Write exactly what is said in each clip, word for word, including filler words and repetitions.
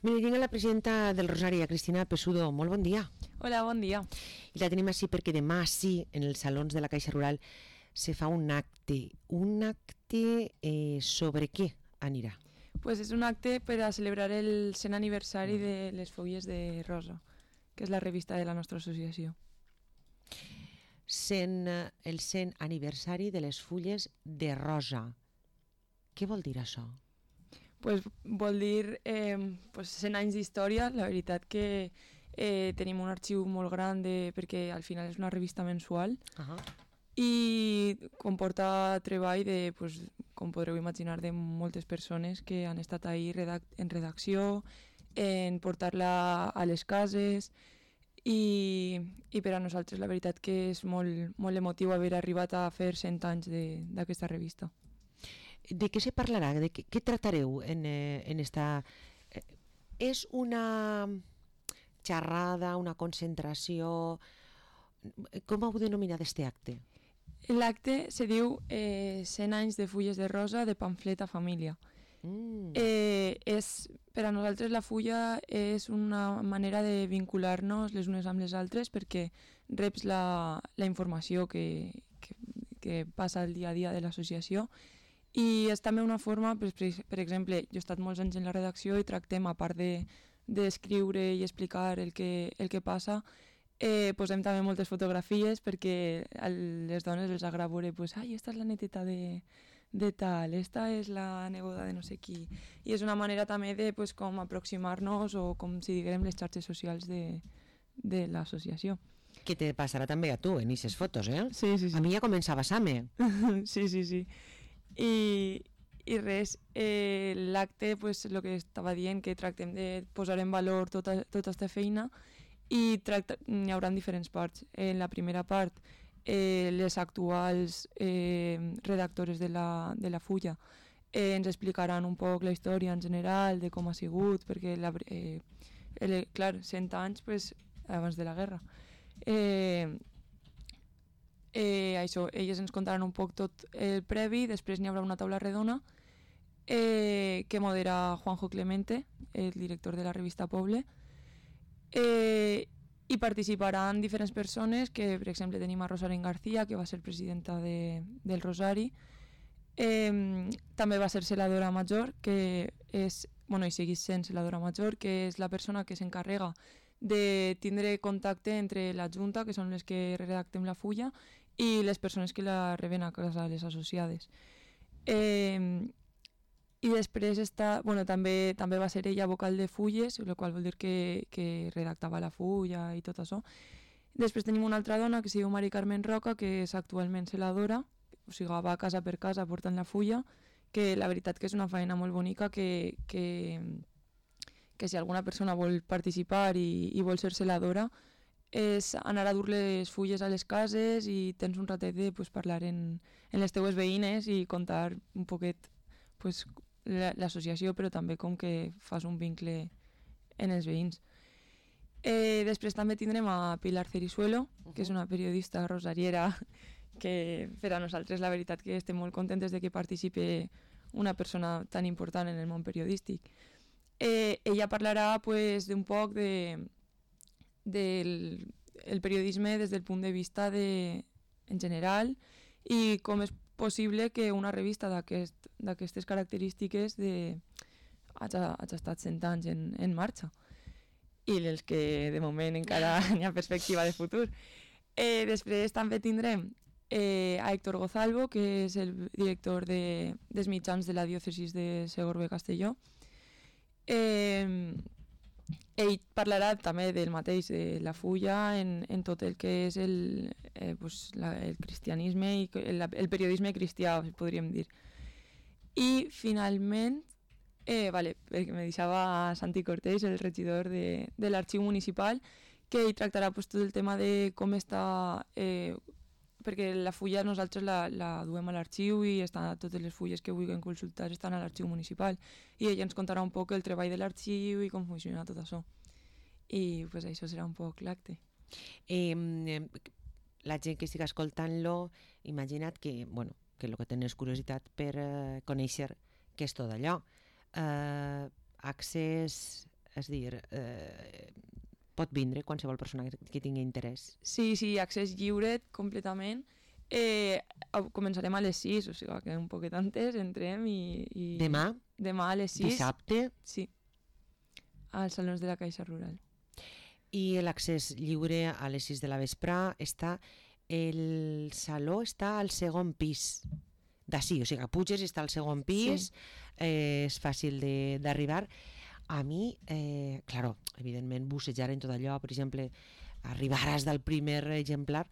Mira, tinc la presidenta del Rosari, Cristina Pesudo. Molt bon dia. Hola, bon dia. I la tenim així perquè demà sí, en els salons de la Caixa Rural, se fa un acte. Un acte eh, sobre què anirà? Pues és un acte per a celebrar el cent aniversari de les Fulles de Rosa, que és la revista de la nostra associació. cent, el cent aniversari de les Fulles de Rosa. Què vol dir això? Pues vol dir eh, pues cent anys d'història. La veritat que eh, tenim un arxiu molt gran de, perquè al final és una revista mensual uh-huh. i comporta treball de, pues, com podreu imaginar, de moltes persones que han estat ahí redac en redacció, en portar-la a les cases i, i per a nosaltres la veritat que és molt, molt emotiu haver arribat a fer cent anys d'aquesta revista. De què se parlarà? De què, què tractareu en, eh, en esta... Eh, és una xerrada, una concentració... Com heu denominat este acte? L'acte se diu eh, cent anys de fulles de rosa de pamflet a família. Mm. Eh, és, per a nosaltres la fulla és una manera de vincular-nos les unes amb les altres perquè reps la, la informació que, que, que passa el dia a dia de l'associació. I és també una forma, per, per exemple, jo he estat molts anys en la redacció i tractem, a part d'escriure de, i explicar el que, el que passa, eh, posem també moltes fotografies perquè a les dones els agrada veure, pues, ai, esta és la neteta de, de tal, esta és la neboda de no sé qui. I és una manera també de pues, com aproximar-nos o com si diguem les xarxes socials de, de l'associació. Que te passarà també a tu en aquestes fotos, eh? Sí, sí, sí. A mi ja comença a passar-me. Sí, sí, sí. I, i res, eh, l'acte, pues, el que estava dient, que tractem de posar en valor tota, tota aquesta feina i tracta, hi haurà diferents parts. En la primera part, eh, les actuals eh, redactores de la, de la fulla eh, ens explicaran un poc la història en general, de com ha sigut, perquè, la, eh, el, clar, cent anys pues, abans de la guerra. Eh, Eh, això, elles ens contaran un poc tot el previ, després n'hi haurà una taula redona eh, que modera Juanjo Clemente, el director de la revista Poble, eh, i participaran diferents persones, que per exemple tenim a Rosario García, que va ser presidenta de, del Rosari, eh, també va ser celadora major, que és, bueno, i segueix sent celadora major, que és la persona que s'encarrega de tindre contacte entre la Junta, que són les que redactem la fulla, i les persones que la reben a casa, les associades. Eh, I després està, bueno, també, també va ser ella vocal de fulles, el qual vol dir que, que redactava la fulla i tot això. Després tenim una altra dona que es diu Mari Carmen Roca, que és actualment celadora, o sigui, va casa per casa portant la fulla, que la veritat que és una feina molt bonica que... que que si alguna persona vol participar i, i vol ser celadora, és anar a dur les fulles a les cases i tens un ratet de pues, parlar en, en les teues veïnes i contar un poquet pues, l'associació, però també com que fas un vincle en els veïns. Eh, després també tindrem a Pilar Cerisuelo, uh-huh. que és una periodista rosariera que per a nosaltres la veritat que estem molt contentes de que participi una persona tan important en el món periodístic. Eh, ella parlarà pues, d'un poc de, del el periodisme des del punt de vista de, en general i com és possible que una revista d'aquestes aquest, característiques de, hagi, hagi estat cent anys en, en marxa i els que de moment encara hi ha perspectiva de futur. Eh, després també tindrem eh, a Héctor Gozalvo, que és el director de, dels mitjans de la diòcesis de Segorbe-Castelló. Eh, ell parlarà també del mateix, de la fulla en, en tot el que és el, eh, pues, la, el cristianisme i el, el periodisme cristià, podríem dir. I finalment, eh, vale, perquè me deixava Santi Cortés, el regidor de, de l'arxiu municipal, que ell tractarà pues, tot el tema de com està... Eh, perquè la fulla nosaltres la, la duem a l'arxiu i està, totes les fulles que vulguin consultar estan a l'arxiu municipal i ella ens contarà un poc el treball de l'arxiu i com funciona tot això. I pues, això serà un poc l'acte. Eh, la gent que estigui escoltant-lo, imagina't que, bueno, que el que tens curiositat per eh, conèixer què és tot allò. Eh, accés és a dir, eh, pot vindre qualsevol persona que, que tingui interès. Sí, sí, accés lliure completament. Eh, començarem a les sis, o sigui que un poquet antes entrem i... i... Demà? Demà a les sis. Dissabte? Sí, als salons de la Caixa Rural. I l'accés lliure a les sis de la vesprà està... El saló està al segon pis d'ací, o sigui que puges i està al segon pis, sí. eh, és fàcil d'arribar. A mi, eh, claro, evidentment bussejar en tot allò, per exemple, arribaràs del primer exemplar,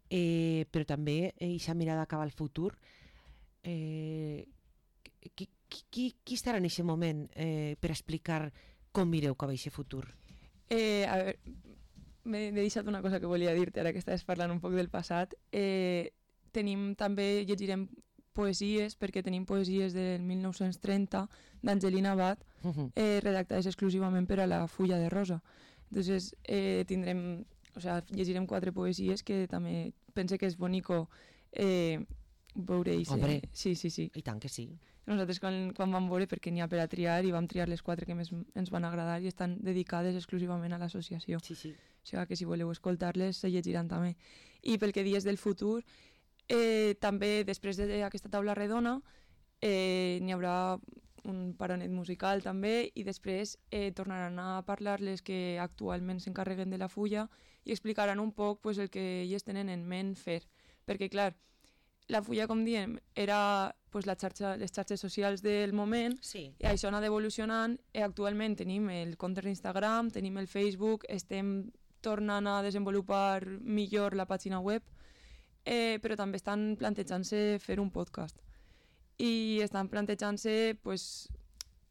eh, però també eixa mirada cap al futur. Eh, qui, qui, qui estarà en aquest moment eh, per explicar com mireu cap a aquest futur? Eh, a veure, m'he deixat una cosa que volia dir-te, ara que estaves parlant un poc del passat. Eh, tenim també, llegirem poesies, perquè tenim poesies del mil nou-cents trenta d'Angelina Abad, uh-huh. eh, redactades exclusivament per a la Fulla de Rosa. Entonces, eh, tindrem, o sea, llegirem quatre poesies que també pense que és bonico eh, veure i Hombre, sí, sí, sí. I tant que sí. Nosaltres quan, quan vam veure, perquè n'hi ha per a triar, i vam triar les quatre que més ens van agradar i estan dedicades exclusivament a l'associació. Sí, sí. O sigui que si voleu escoltar-les, se llegiran també. I pel que dies del futur, eh, també després d'aquesta taula redona eh, n'hi haurà un paronet musical també, i després eh, tornaran a parlar les que actualment s'encarreguen de la fulla i explicaran un poc pues, el que ells tenen en ment fer. Perquè, clar, la fulla, com diem, era pues, la xarxa, les xarxes socials del moment, sí. I això ha anat evolucionant, i actualment tenim el compte d'Instagram, tenim el Facebook, estem tornant a desenvolupar millor la pàgina web, eh, però també estan plantejant-se fer un podcast. I estan plantejant-se pues,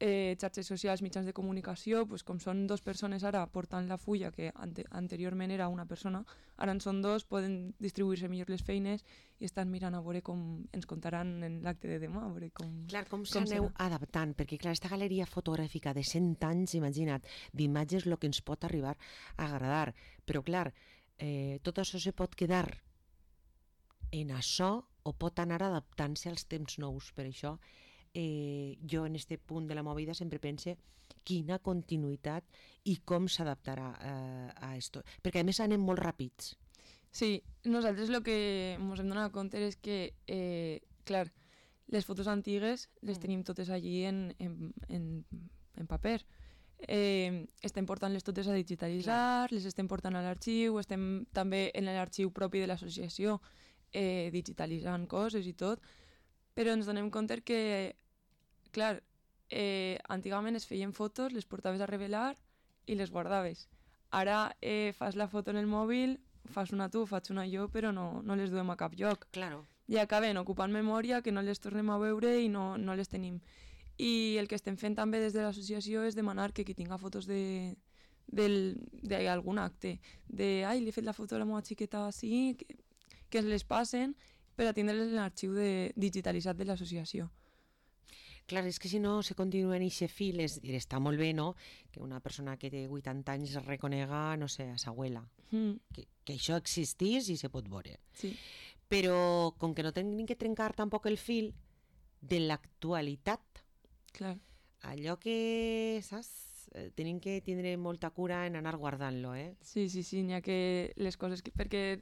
eh, xarxes socials, mitjans de comunicació, pues, com són dos persones ara portant la fulla, que ante anteriorment era una persona, ara en són dos, poden distribuir-se millor les feines i estan mirant a veure com ens contaran en l'acte de demà. A veure com, clar, com, com s'aneu adaptant, perquè clar, aquesta galeria fotogràfica de cent anys, imagina't, d'imatges el que ens pot arribar a agradar, però clar, eh, tot això se pot quedar en això o pot anar adaptant-se als temps nous. Per això eh, jo en este punt de la meva vida sempre pense quina continuïtat i com s'adaptarà eh, a esto, perquè a més anem molt ràpids. Sí, nosaltres el que ens hem donat compte és que, eh, clar, les fotos antigues les mm. tenim totes allí en, en, en, en paper. Eh, estem portant-les totes a digitalitzar, clar. Les estem portant a l'arxiu, estem també en l'arxiu propi de l'associació eh, digitalitzant coses i tot, però ens donem compte que, clar, eh, antigament es feien fotos, les portaves a revelar i les guardaves. Ara eh, fas la foto en el mòbil, fas una tu, faig una jo, però no, no les duem a cap lloc. Claro. I acaben ocupant memòria, que no les tornem a veure i no, no les tenim. I el que estem fent també des de l'associació és demanar que qui tinga fotos de d'algun acte, de ai, li he fet la foto a la meva xiqueta així, que, que ens les passen per a tindre-les en l'arxiu digitalitzat de l'associació. Clar, és que si no se continua en aquest fil, és dir, està molt bé, no?, que una persona que té vuitanta anys es reconega, no sé, a sa abuela, mm. que, que això existís i se pot veure. Sí. Però com que no tenim que trencar tampoc el fil de l'actualitat, clar. Allò que, saps, tenim que tindre molta cura en anar guardant-lo, eh? Sí, sí, sí, n'hi ha que les coses... Que, perquè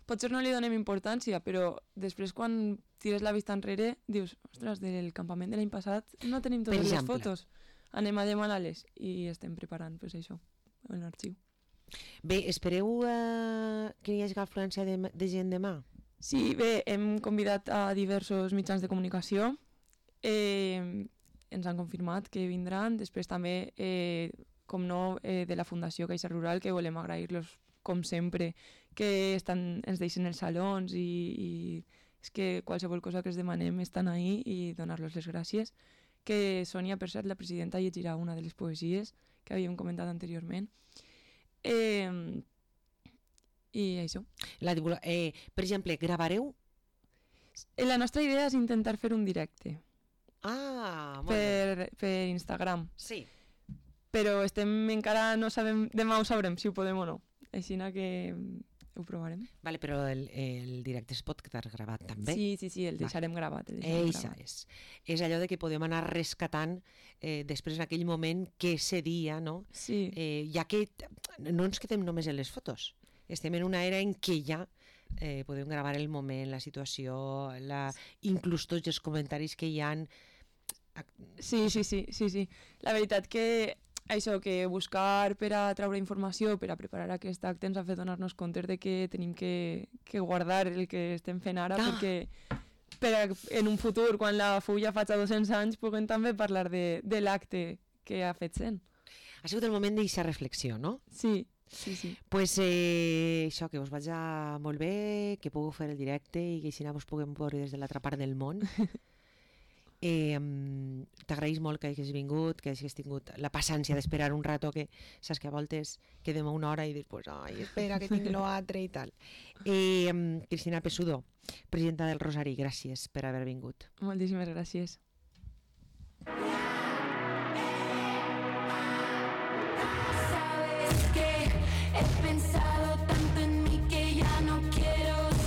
potser no li donem importància, però després quan tires la vista enrere dius, ostres, del campament de l'any passat no tenim totes les fotos. Anem a demanar-les i estem preparant pues, això, en l'arxiu. Bé, espereu uh, que hi hagi afluència de, de gent demà? Sí, bé, hem convidat a diversos mitjans de comunicació. Eh, ens han confirmat que vindran. Després també, eh, com no, eh, de la Fundació Caixa Rural, que volem agrair-los, com sempre, que estan, ens deixen els salons i, i és que qualsevol cosa que els demanem estan ahí i donar-los les gràcies. Que Sònia, per cert, la presidenta, llegirà una de les poesies que havíem comentat anteriorment. Eh, I això. La, eh, per exemple, gravareu? La nostra idea és intentar fer un directe. Ah, molt per, bé. Per Instagram. Sí. Però estem encara no sabem, demà ho sabrem si ho podem o no. Així que ho provarem. Vale, però el, el directe es pot quedar gravat també? Sí, sí, sí, el deixarem vale. gravat. El deixarem Eixa gravat. és. És allò de que podem anar rescatant eh, després en aquell moment què seria, no? Sí. Eh, ja que no ens quedem només en les fotos, estem en una era en què ja eh, podem gravar el moment, la situació, la... inclús tots els comentaris que hi han. Sí, sí, sí, sí, sí. La veritat que això, que buscar per a treure informació, per a preparar aquest acte, ens ha fet donar-nos compte de que tenim que, que guardar el que estem fent ara, ah. perquè per a, en un futur, quan la fulla faci dos-cents anys, puguem també parlar de, de l'acte que ha fet sent. Ha sigut el moment d'aquesta reflexió, no? Sí, sí, sí. Pues eh, això, que us vaig a molt bé, que pugueu fer el directe i que així us puguem veure des de l'altra part del món. Eh, T'agraïs molt que hagis vingut, que hagis tingut la paciència d'esperar un rato, que saps que a voltes quedem a una hora i dius, pues, ai, espera que tinc l'altre i tal. Eh, Cristina Pesudo, presidenta del Rosari, gràcies per haver vingut. Moltíssimes gràcies.